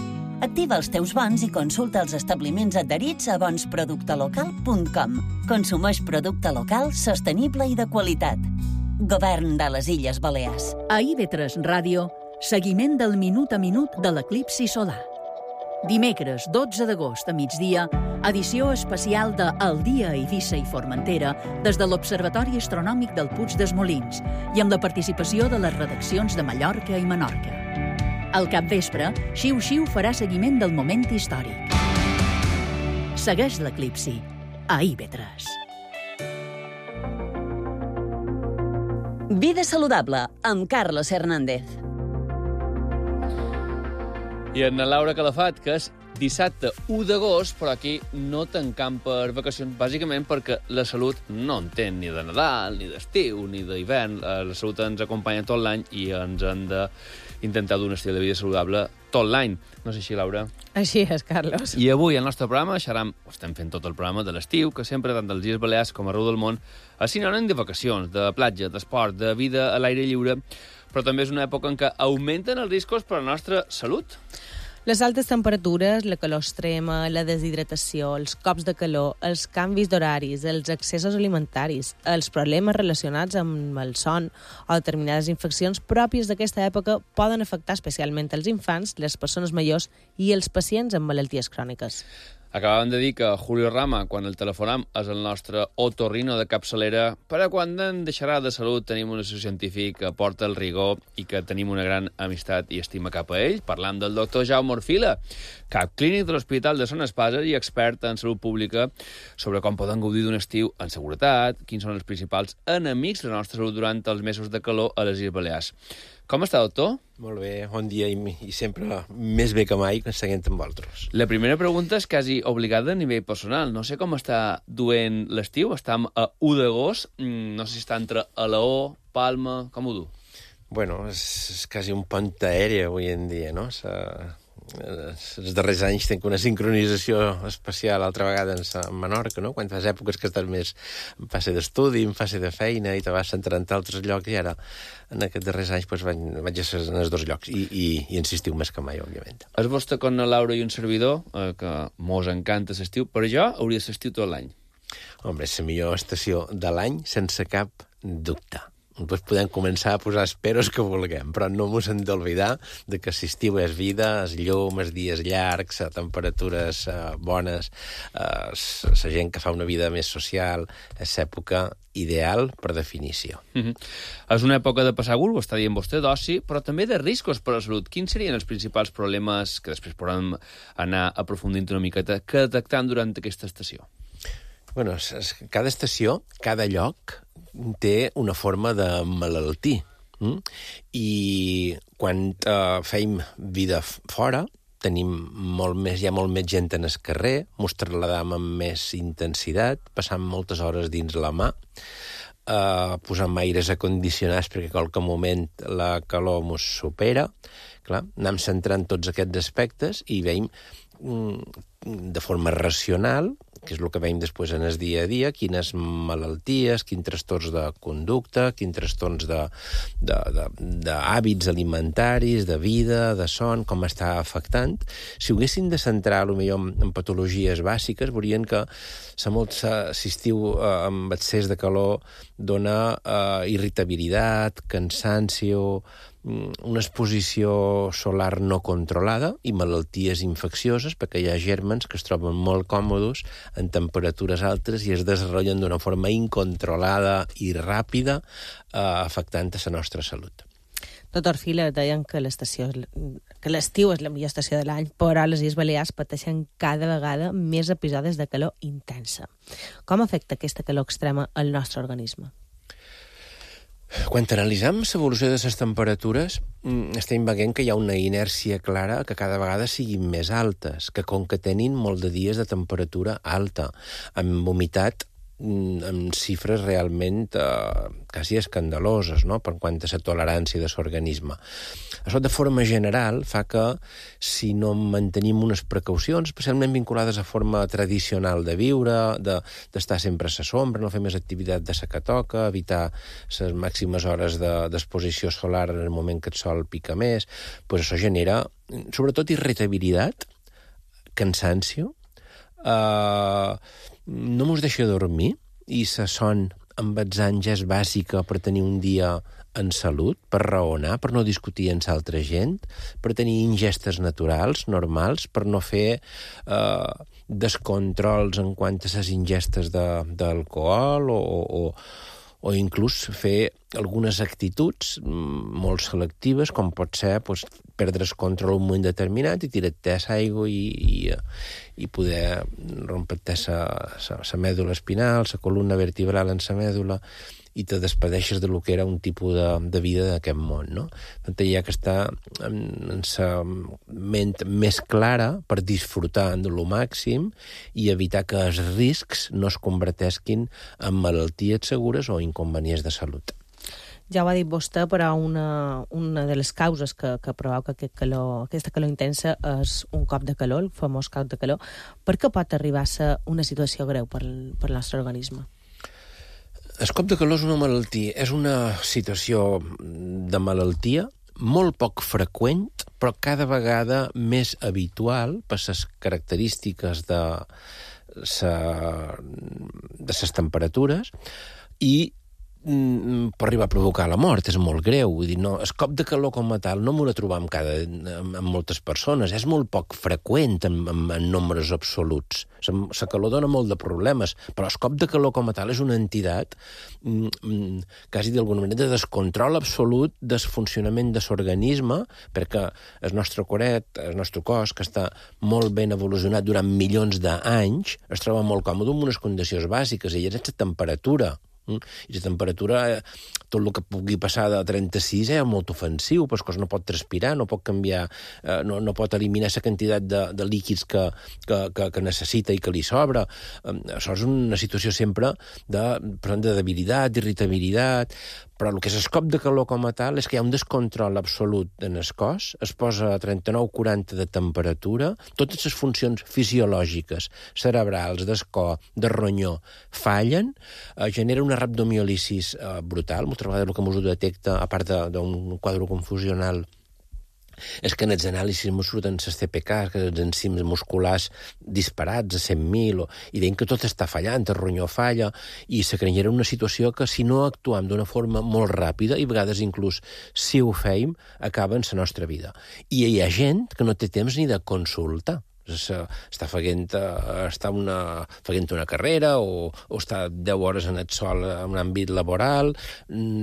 Activa els teus bons i consulta els establiments adherits a bonsproductelocal.com. Consumeix producte local, sostenible i de qualitat. Govern de les Illes Balears. A IB3 Ràdio, seguiment del minut a minut de l'eclipsi solar. Dimecres 12 d'agost a migdia, edició especial de El dia a Eivissa i Formentera des de l'Observatori Astronòmic del Puig dels Molins i amb la participació de les redaccions de Mallorca i Menorca. Al capvespre, Xiu Xiu farà seguiment del moment històric. Segueix l'eclipsi a IB3. Vida Saludable, amb Carlos Hernández. I en la Laura Calafat, que és dissabte 1 d'agost, però aquí no tancam per vacacions, bàsicament perquè la salut no entén ni de Nadal, ni d'estiu, ni d'hivern. La salut ens acompanya tot l'any i ens hem d'intentar dur un estil de vida saludable tot l'any. No sé si, Laura? Així és, Carlos. I avui, al nostre programa, estem fent tot el programa de l'estiu, que sempre, tant dels Illes Balears com arreu del món, és sinònim de vacacions, de platja, d'esport, de vida a l'aire lliure, però també és una època en què augmenten els riscos per a la nostra salut. Les altes temperatures, la calor extrema, la deshidratació, els cops de calor, els canvis d'horaris, els excessos alimentaris, els problemes relacionats amb el son o determinades infeccions pròpies d'aquesta època poden afectar especialment els infants, les persones majors i els pacients amb malalties cròniques. Acabàvem de dir que Julio Rama, quan el telefonam, és el nostre otorrino de capçalera, per a quan en deixarà de salut tenim un assessor científic que porta el rigor i que tenim una gran amistat i estima cap a ell. Parlam del doctor Jaume Orfila, cap clínic de l'Hospital de Son Espasa i expert en salut pública sobre com poden gaudir d'un estiu en seguretat, quins són els principals enemics de la nostra salut durant els mesos de calor a les Illes Balears. Com està, doctor? Molt bé, bon dia i sempre més bé que mai seguint amb vosaltres. La primera pregunta és quasi obligada a nivell personal. No sé com està duent l'estiu. Estem a 1 d'agost. No sé si està entre Alaó, Palma... Com ho du? Bueno, és quasi un pont aeri avui en dia, no? Els darrers anys tinc una sincronització especial altra vegada a Menorca, no? Quan fas èpoques que estàs més en fase d'estudi, en fase de feina i te vas centrant en altres llocs i ara en aquests darrers anys vaig a ser en els dos llocs i insistiu més que mai, òbviament. És vostè com la Laura i un servidor, que mos encanta l'estiu, però jo hauria de l'estiu tot l'any. Home, és la millor estació de l'any sense cap dubte. Doncs podem començar a posar esperos que vulguem, però no mos hem d'oblidar de que l'estiu és vida, és llum, és dies llargs, temperatures bones, la gent que fa una vida més social, és l'època ideal per definició. És una època de passar gust, ho està dient vostè, d'oci, però també de riscos per a la salut. Quins serien els principals problemes que després podem anar aprofundint una miqueta que detectam durant aquesta estació? Bueno, cada estació, cada lloc, té una forma de malaltir. I quan fem vida fora, hi ha molt més gent en el carrer, mos trasladam amb més intensitat, passant moltes hores dins la mà, posant aires acondicionats perquè a qualque moment la calor mos supera. Clar, anem centrant tots aquests aspectes i veiem de forma racional, que és el que veiem després en el dia a dia, quines malalties, quins trastorns de conducta, quins trastorns d'hàbits alimentaris, de vida, de son, com està afectant. Si ho haguessin de centrar, potser en patologies bàsiques, veurien que si estiu amb excés de calor dona irritabilitat, cansancio, una exposició solar no controlada i malalties infeccioses, perquè hi ha gèrmens que es troben molt còmodes en temperatures altes i es desenvolupen d'una forma incontrolada i ràpida, afectant a la nostra salut. Doctor Orfila, deien que l'estació que l'estiu és la millor estació de l'any, però les Illes Balears pateixen cada vegada més episodis de calor intensa. Com afecta aquesta calor extrema al nostre organisme? Quan analitzem l'evolució de les temperatures, estem veient que hi ha una inèrcia clara que cada vegada siguin més altes, que concatenin molt de dies de temperatura alta, amb humitat amb xifres realment quasi escandaloses, no?, per quant a la tolerància de l'organisme. Això, de forma general, fa que si no mantenim unes precaucions, especialment vinculades a forma tradicional de viure, d'estar sempre a la sombra, no fer més activitat de la que toca, evitar les màximes hores d'exposició solar en el moment que el sol pica més, doncs això genera, sobretot, irritabilitat, cansancio, no mos deixa dormir, i la son amb els anys és bàsica per tenir un dia en salut, per raonar, per no discutir amb l'altra gent, per tenir ingestes naturals, normals, per no fer descontrols en quant a les ingestes d'alcohol o inclús fer algunes actituds molt selectives, com pot ser perdre el control en un moment determinat i tirar-te a l'aigua i poder rompre-te la mèdula espinal, la columna vertebral en la mèdula, i te despedeixes de lo que era un tipus de vida d'aquest món, no? Per tant, hi ha que estar en la ment més clara per disfrutar de lo màxim i evitar que els riscs no es converteixin en malalties segures o inconvenients de salut. Ja ho ha dit vostè, però una de les causes que provoca aquesta calor intensa és un cop de calor, el famós cop de calor. Per què pot arribar a ser una situació greu per al nostre organisme? El cop de calor és una malaltia, és una situació de malaltia molt poc freqüent, però cada vegada més habitual per les característiques de les temperatures i pot arribar a provocar la mort, és molt greu. Vull dir, no, el cop de calor com a tal no m'ho trobam amb moltes persones, és molt poc freqüent en nombres absoluts. La calor dona molt de problemes, però el cop de calor com a tal és una entitat quasi d'alguna manera de descontrol absolut del funcionament de l'organisme, perquè el nostre cos, que està molt ben evolucionat durant milions d'anys, es troba molt còmode amb unes condicions bàsiques, i és la temperatura. I la temperatura, tot el que pugui passar de 36 és molt ofensiu, però el cos no pot transpirar, no pot canviar, no pot eliminar la quantitat de líquids que necessita i que li sobra. Això és una situació sempre de debilitat, d'irritabilitat, però el que és el cop de calor com a tal és que hi ha un descontrol absolut en el cos, es posa a 39-40 de temperatura, totes les funcions fisiològiques, cerebrals, del cor, de ronyó, fallen, genera una rhabdomiolisi brutal, moltes vegades el que ens ho detecta, a part d'un quadre confusional, és que en els anàlisis ens surten les TPK, que els enzims musculars disparats a 100.000, i veiem que tot està fallant, el ronyó falla, i se creia una situació que si no actuem d'una forma molt ràpida, i a vegades inclús si ho feim, acaba en la nostra vida. I hi ha gent que no té temps ni de consultar. Està fent una carrera o està 10 hores en el sol en un àmbit laboral,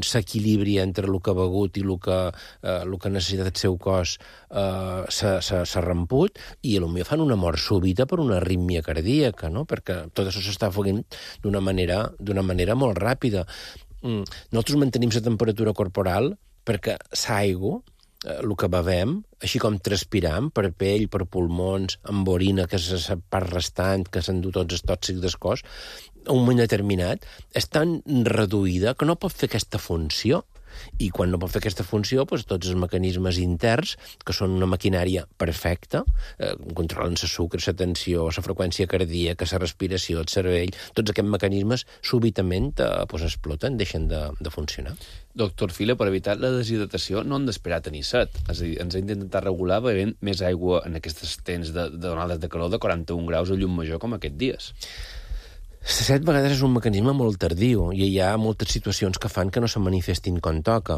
s'equilibri entre el que ha begut i el que necessita el seu cos s'ha remput, i potser fan una mort súbita per una arrítmia cardíaca, no? Perquè tot això s'està fent d'una manera molt ràpida. Nosaltres mantenim la temperatura corporal perquè l'aigua, el que bevem, així com transpiram per pell, per pulmons, amb orina, que és la part restant, que s'endú tots els tòxics del cos, a un moment determinat, és tan reduïda que no pot fer aquesta funció. I quan no pot fer aquesta funció, doncs, tots els mecanismes interns, que són una maquinària perfecta, controlen la sucre, la tensió, la freqüència cardíaca, la respiració, el cervell, tots aquests mecanismes súbitament exploten, deixen de funcionar. Doctor Fila, per evitar la deshidratació no hem d'esperar a tenir set. És a dir, ens hem d'intentar regular bevent més aigua en aquests temps de onades de calor de 41 graus a llum major com aquests dies. 7 vegades és un mecanisme molt tardiu i hi ha moltes situacions que fan que no se manifestin com toca.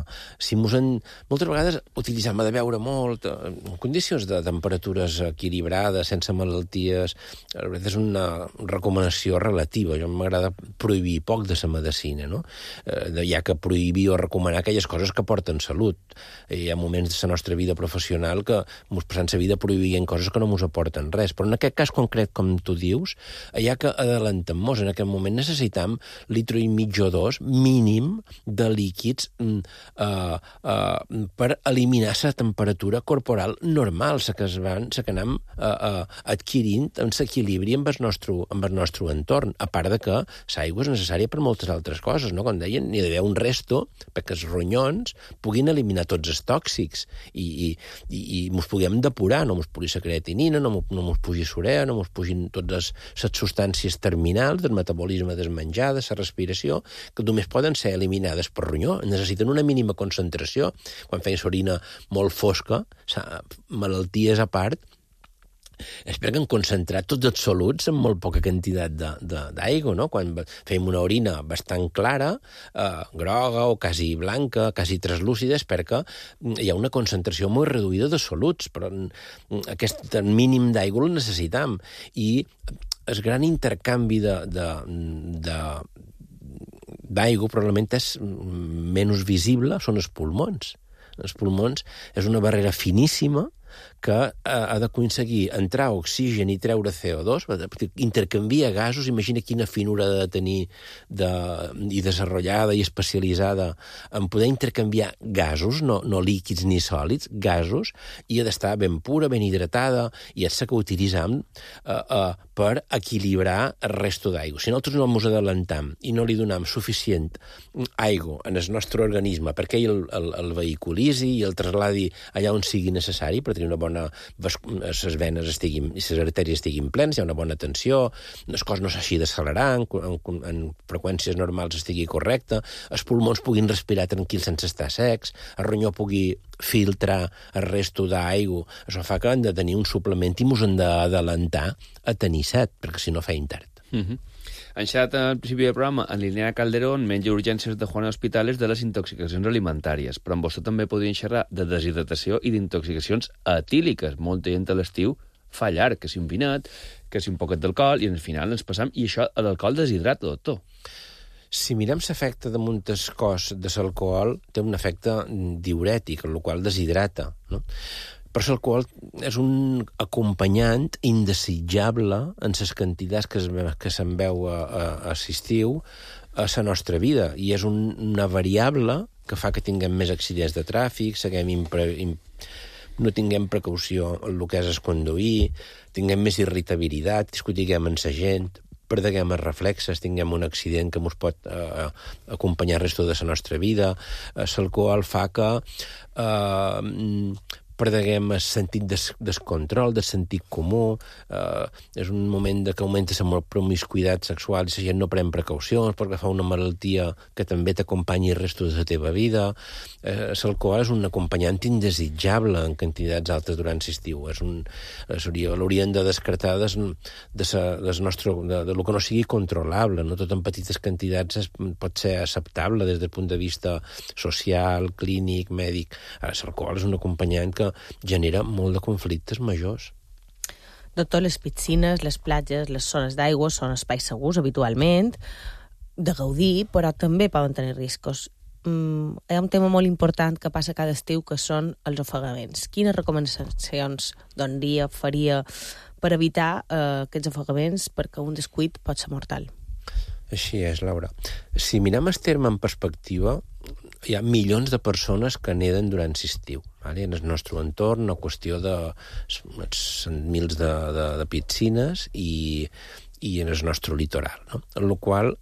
Moltes vegades utilitzem de beure molt, en condicions de temperatures equilibrades, sense malalties, és una recomanació relativa. Jo m'agrada prohibir poc de la medicina, no? Hi ha que prohibir o recomanar aquelles coses que porten salut. Hi ha moments de la nostra vida professional que ens passem la vida prohibint coses que no ens aporten res, però en aquest cas concret, com tu dius, hi ha que adelantar-nos. En aquest moment necessitam litre i mig o 2 mínim de líquids per eliminar la temperatura corporal normal, la que anem adquirint en l'equilibri amb el nostre entorn, a part de que l'aigua és necessària per moltes altres coses, no? Com deien, n'hi ha d'haver un resto perquè els ronyons puguin eliminar tots els tòxics i mos puguem depurar, no mos pugui la creatinina, no mos pugi l'urea, no mos pugin totes les substàncies terminals del metabolisme del menjar, de la respiració, que només poden ser eliminades per ronyó. Necessiten una mínima concentració. Quan feien l'orina molt fosca, malalties a part, és perquè han concentrat tots els soluts en molt poca quantitat d'aigua, no? Quan fèiem una orina bastant clara, groga o quasi blanca, quasi translúcida, és perquè hi ha una concentració molt reduïda de soluts, però aquest mínim d'aigua el necessitam. I el gran intercanvi d'aigua probablement és menys visible, són els pulmons. Els pulmons és una barrera finíssima que ha d'aconseguir entrar oxigen i treure CO2, intercanvia gasos, imagina quina finura ha de tenir i desenvolupada i especialitzada en poder intercanviar gasos, no líquids ni sòlids, gasos, i ha d'estar ben pura, ben hidratada, i és la que utilitzam per equilibrar el resto d'aigua. Si nosaltres no ens adelantam i no li donem suficient aigua en el nostre organisme perquè ell el vehiculitzi i el trasladi allà on sigui necessari, per tenir una bona les venes i les artèries estiguin plenes, hi ha una bona tensió, les coses no s'hagi d'accelerar, en freqüències normals estigui correcte, els pulmons puguin respirar tranquils sense estar secs, el ronyó pugui filtrar el resto d'aigua. Això fa que hem de tenir un suplement i ens hem d'adelantar a tenir set, perquè si no feim tard. Han xerrat al principi del programa en Liliana Calderón, metge d'urgències de Juana Hospitales, de les intoxicacions alimentàries, però amb vostè també podrien xerrar de deshidratació i d'intoxicacions etíliques. Molta gent a l'estiu fa llarg, que si un vinet, que si un poquet d'alcohol, i al final ens passam, i això, l'alcohol deshidrata, doctor. Si mirem l'efecte de moltes coses de l'alcohol, té un efecte diurètic, el qual deshidrata, no? Però l'alcohol és un acompanyant indesitjable en les quantitats que se'n veu a l'estiu a la nostra vida, i és una variable que fa que tinguem més accidents de tràfic, no tinguem precaució en el que és el conduir, tinguem més irritabilitat, discutiguem amb la gent, perdeguem els reflexes, tinguem un accident que ens pot acompanyar el resto de la nostra vida. L'alcohol fa que perdeguem el sentit del control, del sentit comú, és un moment que augmenta la promiscuïtat sexual i la gent no pren precaucions perquè fa una malaltia que també t'acompanyi el resto de la teva vida. L'alcohol és un acompanyant indesitjable en quantitats altes durant l'estiu. L'hauríem de descartar del que no sigui controlable. No tot en petites quantitats pot ser acceptable des del punt de vista social, clínic, mèdic. L'alcohol és un acompanyant que genera molt de conflictes majors. Doctor, les piscines, les platges, les zones d'aigua són espais segurs habitualment, de gaudir, però també poden tenir riscos. Hi ha un tema molt important que passa cada estiu, que són els ofegaments. Quines recomanacions faria per evitar aquests ofegaments, perquè un descuit pot ser mortal? Així és, Laura. Si mirem el terme en perspectiva, hi ha milions de persones que neden durant l'estiu. En el nostre entorn, una qüestió de mils de piscines i en el nostre litoral. No? En la qual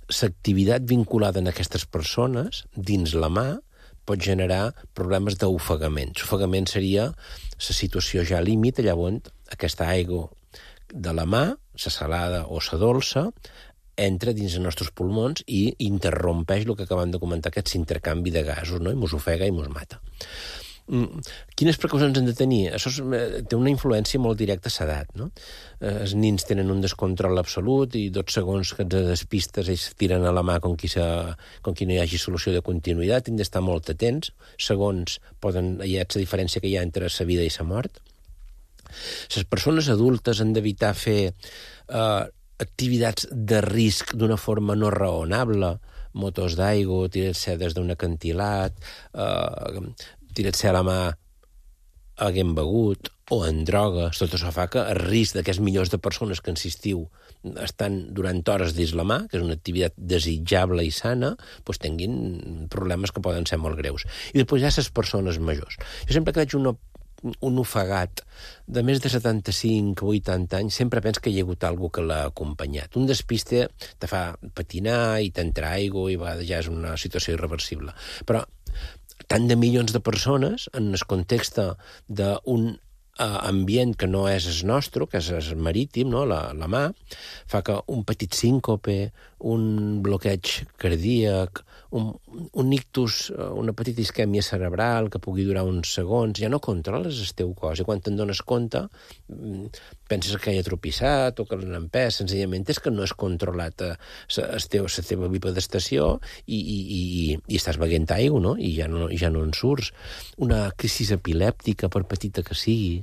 l'activitat vinculada a aquestes persones, dins la mà, pot generar problemes d'ofegament. L'ofegament seria la situació ja límit, allà on aquesta aigua de la mà, la salada o la dolça, entra dins els nostres pulmons i interrompeix el que acabem de comentar, aquest intercanvi de gasos, no? I mos ofega i mos mata. Quines precaucions hem de tenir? Això té una influència molt directa a l'edat, no? Els nins tenen un descontrol absolut i 2 segons que et despistes ells tiren a la mà com qui no hi hagi solució de continuïtat. Hem d'estar molt atents. Segons hi ha la diferència que hi ha entre la vida i la mort. Les persones adultes han d'evitar fer activitats de risc d'una forma no raonable, motos d'aigua, tirar-se des d'un acantilat, tirar-se a la mà haguem begut, o en drogues. Tot això fa que el risc d'aquests milions de persones que en l'estiu estan durant hores dins la mà, que és una activitat desitjable i sana, doncs tinguin problemes que poden ser molt greus. I després hi ha les persones majors. Jo sempre que veig un ofegat de més de 75-80 anys, sempre penso que hi ha hagut algú que l'ha acompanyat. Un despiste te fa patinar i t'entra aigua i a vegades ja és una situació irreversible. Però tant de milions de persones, en el context d'un ambient que no és el nostre, que és el marítim, no? la mà, fa que un petit síncope, un bloqueig cardíac, un ictus, una petita isquèmia cerebral que pugui durar uns segons, ja no controles el teu cos. I quan te'n dones compte, penses que hi ha tropissat o que l'han empès, senzillament és que no has controlat la teva bipedestació i estàs beguent aigua, no? I ja no en surts. Una crisi epilèptica, per petita que sigui.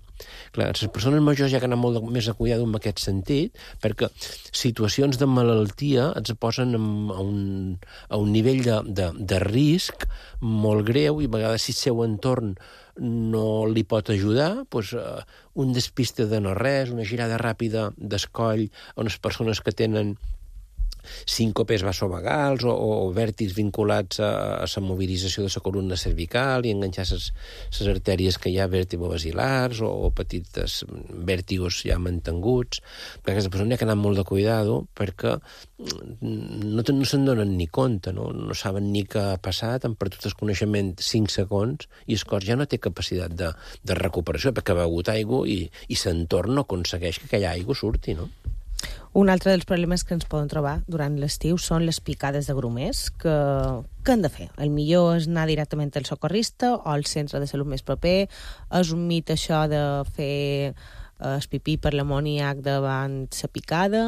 Clar, les persones majors ja que anar molt més a cuidar en aquest sentit, perquè situacions de malaltia et posen a un nivell de risc molt greu i a vegades si el seu entorn no li pot ajudar, doncs un despiste de no res, una girada ràpida d'escoll a unes persones que tenen síncopes vasovagals o vèrtics vinculats a la mobilització de la columna cervical i enganxar les artèries que hi ha vèrtebrobasilars o petites vèrtigos ja mantenguts. Perquè aquesta persona ha que anar molt de cuidado perquè no se'n donen ni compte, no saben ni què ha passat, han perdut el coneixement 5 segons i el cos ja no té capacitat de recuperació perquè ha begut aigua i l'entorn no aconsegueix que aquella aigua surti, no? Un altre dels problemes que ens poden trobar durant l'estiu són les picades de grumers. Què han de fer? El millor és anar directament al socorrista o al centre de salut més proper? És un mit això de fer el pipí per l'amoníac davant la picada?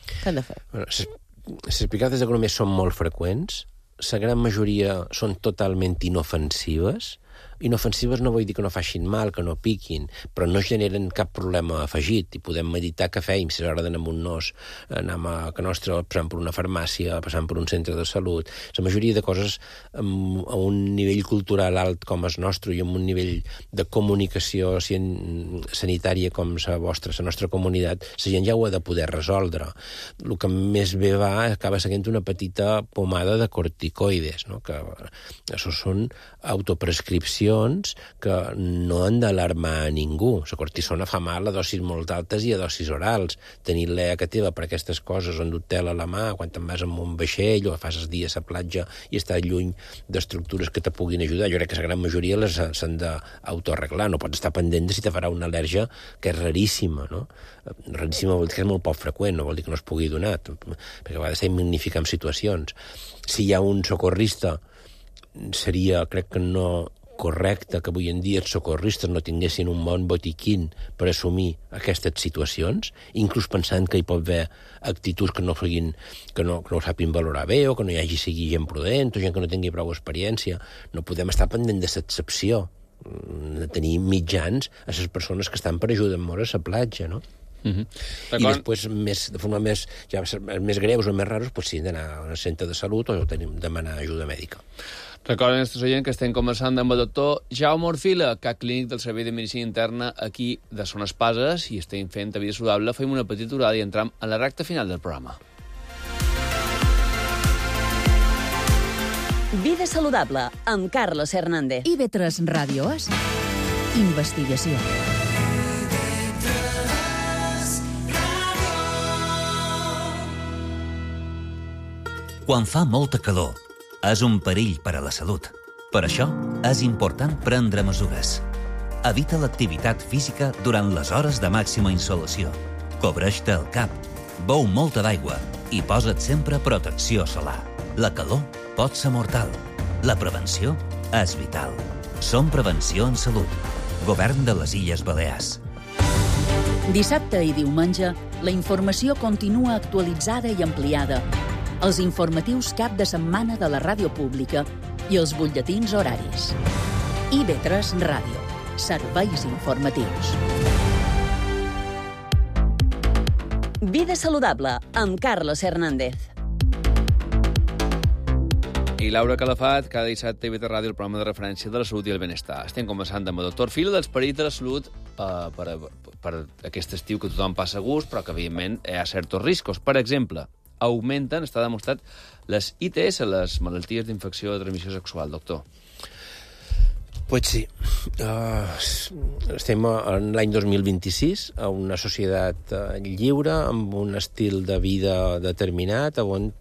Què han de fer? Les picades de grumers són molt freqüents. La gran majoria són totalment inofensives. Inofensives no vull dir que no facin mal, que no piquin, però no generen cap problema afegit i podem meditar què feim, si és hora d'anar amb un nos, anem a que nostre, passant per una farmàcia, passant per un centre de salut. La majoria de coses a un nivell cultural alt com el nostre i amb un nivell de comunicació sanitària com la nostra comunitat, la gent ja ho ha de poder resoldre. El que més bé va acaba sent una petita pomada de corticoides, no? Que això són autoprescripcions que no han d'alarmar a ningú. La cortisona fa mal a dosis molt altes i a dosis orals. Tenir l'EA que teva per aquestes coses, on dut tela a la mà, quan te'n vas amb un vaixell o fas els dies a platja i estàs lluny d'estructures que te puguin ajudar. Jo crec que la gran majoria les s'han d'autoarreglar. No pots estar pendent de si te farà una al·lèrgia que és raríssima, no? Raríssima vol dir que és molt poc freqüent, no vol dir que no es pugui donar, perquè a vegades s'ha de magnificar en situacions. Si hi ha un socorrista, seria, crec que no correcte que avui en dia els socorristes no tinguessin un bon botiquín per assumir aquestes situacions, inclús pensant que hi pot haver actituds que no ho sàpin valorar bé o que no hi hagi sigui gent prudent o gent que no tingui prou experiència. No podem estar pendent de l'excepció, de tenir mitjans a les persones que estan per ajudar molt a la platja, no? I després, de forma més greus o més raros, doncs sí, d'anar a un centre de salut o demanar ajuda mèdica. Recorden, nostres oients, que estem conversant amb el doctor Jaume Orfila, cap clínic del Servei de Medicina Interna aquí de Son Espases, i estem fent a Vida Saludable. Fem una petita aturada i entram a la recta final del programa. Vida Saludable, amb Carlos Hernández. IB3 Ràdio és investigació. Quan fa molta calor, és un perill per a la salut. Per això, és important prendre mesures. Evita l'activitat física durant les hores de màxima insolació. Cobreix-te el cap, beu molta d'aigua i posa't sempre protecció solar. La calor pot ser mortal. La prevenció és vital. Som prevenció en salut. Govern de les Illes Balears. Dissabte i diumenge, la informació continua actualitzada i ampliada. Els informatius cap de setmana de la ràdio pública i els butlletins horaris. IB3 Ràdio. Serveis informatius. Vida saludable, amb Carlos Hernández. I Laura Calafat, cada dissabte a IB3 Ràdio, el programa de referència de la salut i el benestar. Estem conversant amb el doctor Fil dels perills de la salut per aquest estiu que tothom passa a gust, però que, evidentment, hi ha certs riscos. Per exemple, augmenten, està demostrat, les ITS, les malalties d'infecció de transmissió sexual, doctor. Pues sí. Estem en l'any 2026, a una societat lliure, amb un estil de vida determinat, on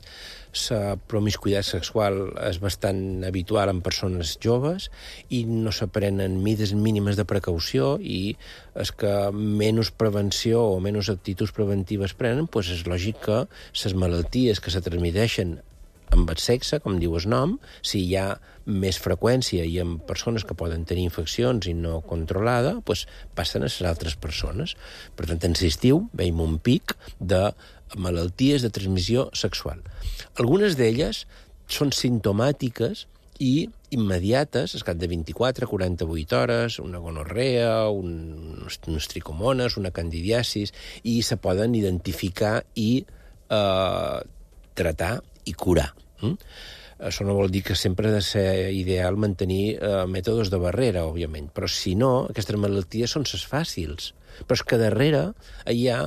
la promiscuïtat sexual és bastant habitual en persones joves i no s'aprenen mides mínimes de precaució, i és que menys prevenció o menys actituds preventives prenen, doncs és lògic que les malalties que se transmeteixen amb el sexe, com diu el nom, si hi ha més freqüència i en persones que poden tenir infeccions i no controlada, doncs passen a les altres persones. Per tant, en l'estiu veiem un pic de malalties de transmissió sexual. Algunes d'elles són simptomàtiques i immediates, al cap de 24-48 hores, una gonorrea, unes tricomones, una candidiasis, i se poden identificar i tratar i curar. Això no vol dir que sempre ha de ser ideal mantenir mètodes de barrera, òbviament, però si no, aquestes malalties són les fàcils. Però és que darrere hi ha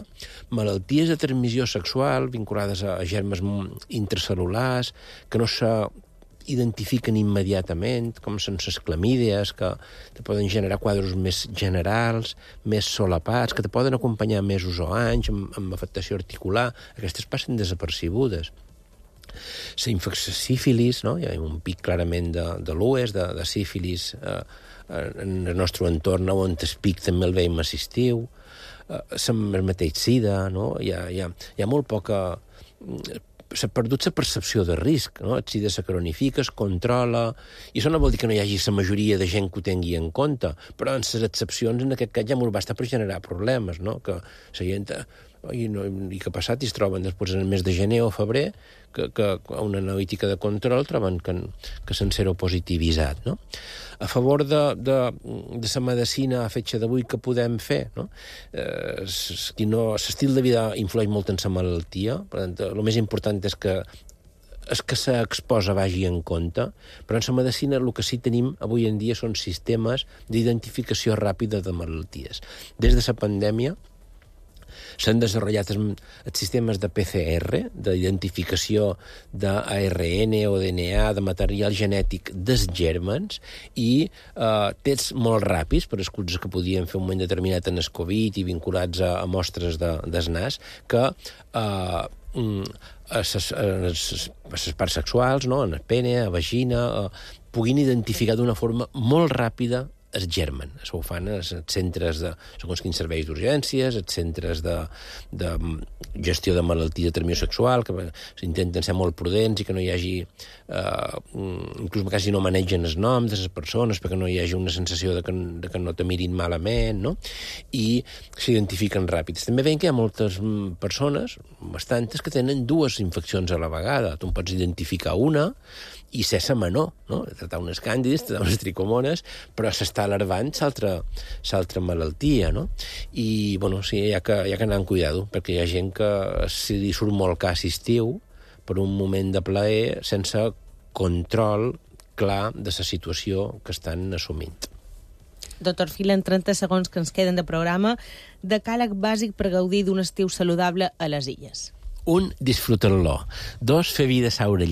malalties de transmissió sexual vinculades a germes intracel·lulars que no s'identifiquen immediatament, com són les clamídies, que te poden generar quadres més generals, més solapats, que te poden acompanyar mesos o anys amb afectació articular. Aquestes passen desapercibudes. La infecció sífilis, no? Hi ha un pic clarament de l'UES, de sífilis en el nostre entorn, on el pic també el veiem a l'estiu, el mateix sida, no? Hi ha molt poca... S'ha perdut la percepció de risc, no? El sida se cronifica, es controla, i això no vol dir que no hi hagi la majoria de gent que ho tingui en compte, però en les excepcions, en aquest cas, ja m'ho basta per generar problemes, no? Que la gent... I que ha passat i es troben després en el mes de gener o febrer que a una analítica de control troben que s'han seropositivitzat, no? A favor de la medicina a fetge d'avui que podem fer, no? L'estil de vida influeix molt en la malaltia, per tant, el més important és que s'exposa vagi en compte, però en la medicina el que sí tenim avui en dia són sistemes d'identificació ràpida de malalties. Des de la pandèmia s'han desenvolupat els sistemes de PCR, d'identificació d'ARN o DNA, de material genètic dels gèrmens, i tests molt ràpids per les coses que podien fer un moment determinat en el Covid i vinculats a mostres del nas, que a les parts sexuals, no? En el pene, a la vagina, puguin identificar d'una forma molt ràpida el germen. Això ho fan els centres de segons quins serveis d'urgències, els centres de gestió de malaltia de transmissió sexual, que s'intenten ser molt prudents i que no hi hagi... inclús quasi no manegen els noms de les persones perquè no hi hagi una sensació de que no te mirin malament, no? I s'identifiquen ràpids. També veiem que hi ha moltes persones, bastantes, que tenen dues infeccions a la vegada. Tu en pots identificar una i ser la menor, no? Tratar unes càndides, tratar unes tricomones, però s'està alarvant l'altra malaltia, no? I, bueno, sí, hi ha que anar amb cuidado, perquè hi ha gent que si li surt molt cas estiu per un moment de plaer sense control clar de la situació que estan assumint. Doctor Fil, en 30 segons que ens queden de programa, decàleg bàsic per gaudir d'un estiu saludable a les Illes. 1. Disfrutar-lo. 2. Fer vida a l'aire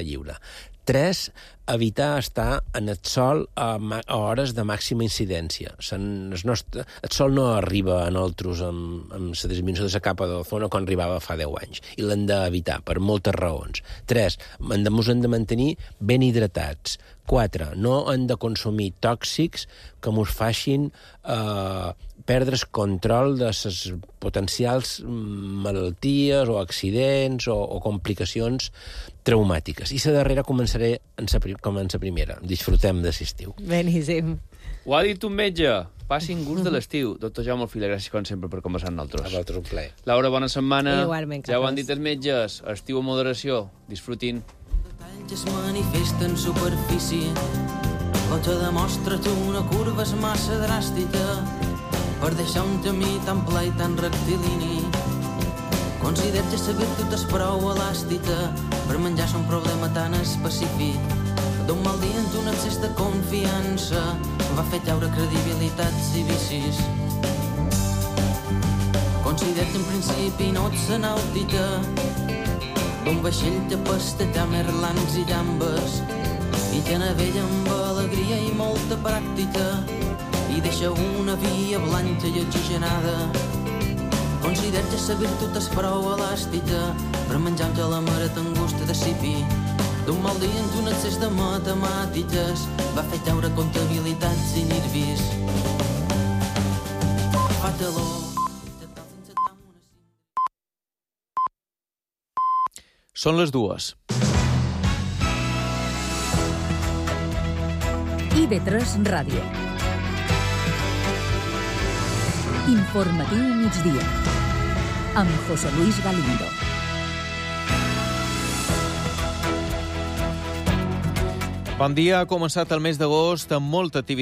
lliure. 3. Evitar estar en el sol a hores de màxima incidència. El sol no arriba a nosaltres amb la disminució de la capa d'ozona com arribava fa 10 anys. I l'hem d'evitar, per moltes raons. 3. Ens hem de mantenir ben hidratats. 4. No hem de consumir tòxics que ens facin perdre's control de les potencials malalties o accidents o complicacions traumàtiques. I la darrera començaré com en la primera. Disfrutem de l'estiu. Beníssim. Ho ha dit un metge. Passin gust de l'estiu. Doctor Jaume Alfila, gràcies com sempre per conversar amb nosaltres. A vosaltres un plaer. Laura, bona setmana. Igualment, ja ho han dit els metges. Estiu a moderació. Disfrutin. Detalls es manifesten en superfície. O te demostra tu una curva és massa dràstica per deixar un camí tan pla i tan rectilini. Considero que la virtut és prou elàstica per menjar-se un problema tan específic. D'un mal dia en un excés de confiança va fer caure credibilitats i vicis. Considero que en principi no ets la nàutica d'un vaixell que pasteja merlans i llambes i que navega amb alegria i molta pràctica i deixa una via blanca i oxigenada. Considero que la virtut és prou elàstica per menjar un gelamaret amb gust de cipi. D'un mal dia en un excés de matemàtiques va fer caure comptabilitats i nervis. Fa calor. Són les 2. IB3 Ràdio. Informatiu migdia. Amb José Luis Galindo. Bon dia. Ha començat el mes d'agost amb molta activitat